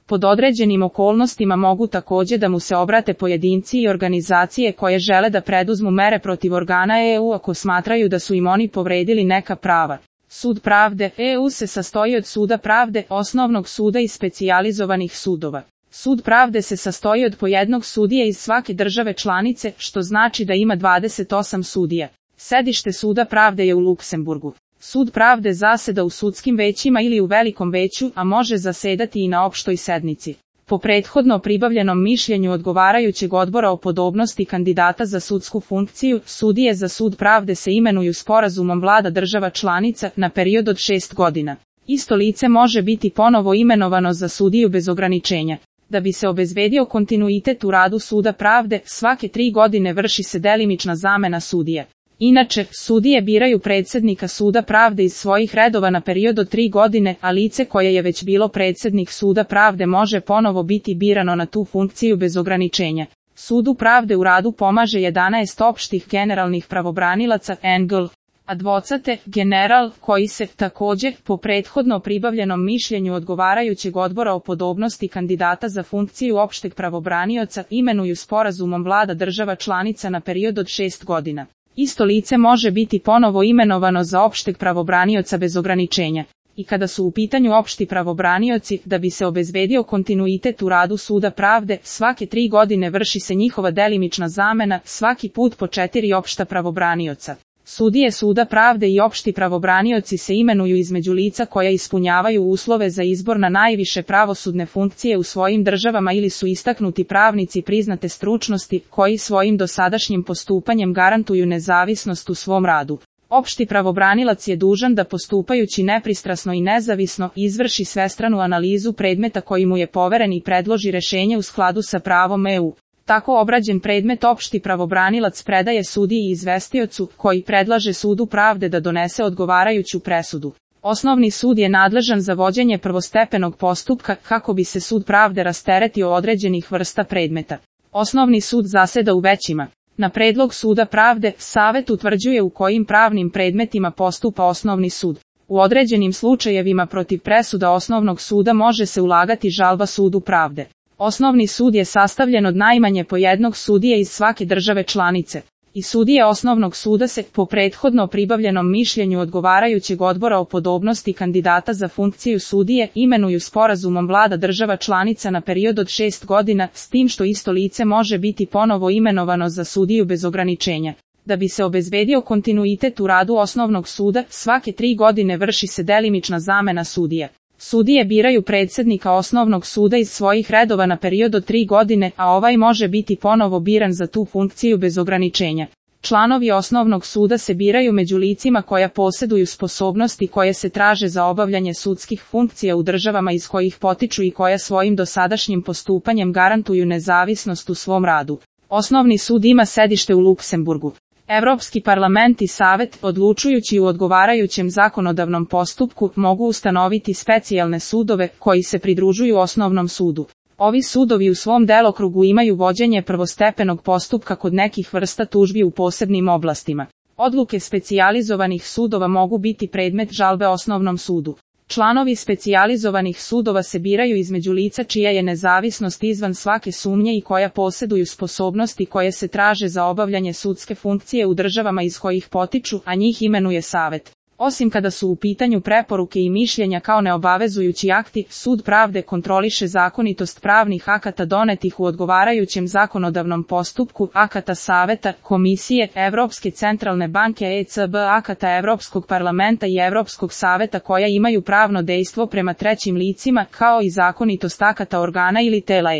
Pod određenim okolnostima mogu također da mu se obrate pojedinci i organizacije koje žele da preduzmu mere protiv organa EU ako smatraju da su im oni povredili neka prava. Sud pravde EU se sastoji od Suda pravde, osnovnog suda i specijalizovanih sudova. Sud pravde se sastoji od po jednog sudije iz svake države članice, što znači da ima 28 sudija. Sedište Suda pravde je u Luksemburgu. Sud pravde zaseda u sudskim većima ili u velikom veću, a može zasedati i na opštoj sednici. Po prethodno pribavljenom mišljenju odgovarajućeg odbora o podobnosti kandidata za sudsku funkciju, sudije za Sud pravde se imenuju sporazumom vlada država članica na period od 6 godina. Isto lice može biti ponovo imenovano za sudiju bez ograničenja. Da bi se obezbedio kontinuitet u radu Suda pravde, svake 3 godine vrši se delimična zamena sudija. Inače, sudije biraju predsjednika Suda pravde iz svojih redova na period od 3 godine, a lice koje je već bilo predsjednik Suda pravde može ponovo biti birano na tu funkciju bez ograničenja. Sudu pravde u radu pomaže 11 opštih generalnih pravobranilaca (NGL), advocate general, koji se, također, po prethodno pribavljenom mišljenju odgovarajućeg odbora o podobnosti kandidata za funkciju opšteg pravobranioca, imenuju sporazumom vlada država članica na period od 6 godina. Isto lice može biti ponovo imenovano za opšteg pravobranioca bez ograničenja. I kada su u pitanju opšti pravobranioci, da bi se obezbedio kontinuitet u radu Suda pravde, svake 3 godine vrši se njihova delimična zamena, svaki put po 4 opšta pravobranioca. Sudije Suda pravde i opšti pravobranioci se imenuju između lica koja ispunjavaju uslove za izbor na najviše pravosudne funkcije u svojim državama ili su istaknuti pravnici priznate stručnosti, koji svojim dosadašnjim postupanjem garantuju nezavisnost u svom radu. Opšti pravobranilac je dužan da postupajući nepristrasno i nezavisno izvrši svestranu analizu predmeta koji mu je poveren i predloži rešenje u skladu sa pravom EU. Tako obrađen predmet opšti pravobranilac predaje sudiji i izvestiocu, koji predlaže Sudu pravde da donese odgovarajuću presudu. Osnovni sud je nadležan za vođenje prvostepenog postupka kako bi se Sud pravde rasteretio određenih vrsta predmeta. Osnovni sud zaseda u većima. Na predlog Suda pravde, Savet utvrđuje u kojim pravnim predmetima postupa Osnovni sud. U određenim slučajevima protiv presuda Osnovnog suda može se ulagati žalba Sudu pravde. Osnovni sud je sastavljen od najmanje po jednog sudije iz svake države članice. I sudije Osnovnog suda se, po prethodno pribavljenom mišljenju odgovarajućeg odbora o podobnosti kandidata za funkciju sudije, imenuju sporazumom vlada država članica na period od 6 godina, s tim što isto lice može biti ponovo imenovano za sudiju bez ograničenja. Da bi se obezbedio kontinuitet u radu Osnovnog suda, svake 3 godine vrši se delimična zamena sudija. Sudije biraju predsjednika Osnovnog suda iz svojih redova na period od 3 godine, a ovaj može biti ponovo biran za tu funkciju bez ograničenja. Članovi Osnovnog suda se biraju među licima koja posjeduju sposobnosti koje se traže za obavljanje sudskih funkcija u državama iz kojih potiču i koja svojim dosadašnjim postupanjem garantuju nezavisnost u svom radu. Osnovni sud ima sedište u Luksemburgu. Evropski parlament i Savet, odlučujući u odgovarajućem zakonodavnom postupku, mogu ustanoviti specijalne sudove koji se pridružuju Osnovnom sudu. Ovi sudovi u svom delokrugu imaju vođenje prvostepenog postupka kod nekih vrsta tužbi u posebnim oblastima. Odluke specijalizovanih sudova mogu biti predmet žalbe Osnovnom sudu. Članovi specijalizovanih sudova se biraju između lica čija je nezavisnost izvan svake sumnje i koja posjeduju sposobnosti koje se traže za obavljanje sudske funkcije u državama iz kojih potiču, a njih imenuje Savet. Osim kada su u pitanju preporuke i mišljenja kao neobavezujući akti, Sud pravde kontroliše zakonitost pravnih akata donetih u odgovarajućem zakonodavnom postupku, akata Saveta, Komisije, Evropske centralne banke ECB, akata Evropskog parlamenta i Evropskog saveta koja imaju pravno dejstvo prema trećim licima, kao i zakonitost akata organa ili tela